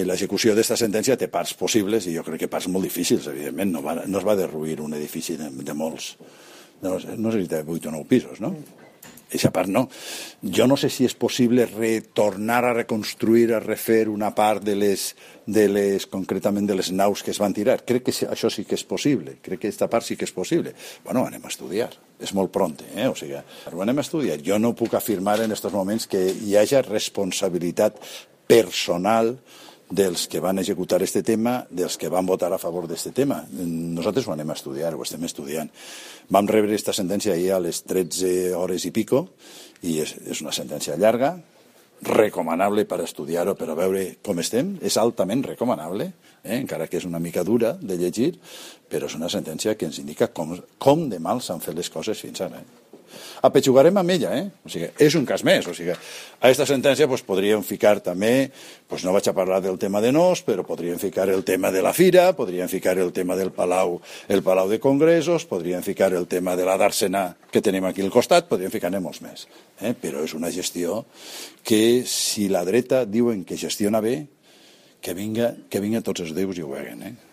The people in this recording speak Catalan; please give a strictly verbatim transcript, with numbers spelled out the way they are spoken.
L'execució d'aquesta sentència té parts possibles i jo crec que parts molt difícils, evidentment. No, va, no es va derruir un edifici de, de molts... No, no sé si té vuit o nou pisos, no? Eixa part no. Jo no sé si és possible retornar a reconstruir, a refer una part de les, de les, concretament de les naus que es van tirar. Crec que això sí que és possible. Crec que aquesta part sí que és possible. Bueno, anem a estudiar. És molt pront, eh? O sigui, ho anem a estudiar. Jo no puc afirmar en aquests moments que hi hagi responsabilitat personal dels que van executar este tema, dels que van votar a favor d'este tema. Nosaltres ho anem a estudiar, ho estem estudiant. Vam rebre aquesta sentència ahir a les tretze hores i pico, i és, és una sentència llarga, recomanable per estudiar-ho, per a veure com estem. És altament recomanable, eh? Encara que és una mica dura de llegir, però és una sentència que ens indica com, com de mal s'han fet les coses fins ara. Eh? Apetxugarem amb ella, eh? O sigui, és un cas més. O sigui, a aquesta sentència pues, podríem ficar també, pues, no vaig a parlar del tema de Nos, però podríem ficar el tema de la Fira, podríem ficar el tema del Palau, el Palau de Congressos, podríem ficar el tema de la Dàrsena que tenim aquí al costat, podríem ficar-ne molts més. Eh? Però és una gestió que, si la dreta diuen que gestiona bé, que vinga, que vinga tots els déus i ho veguen, eh?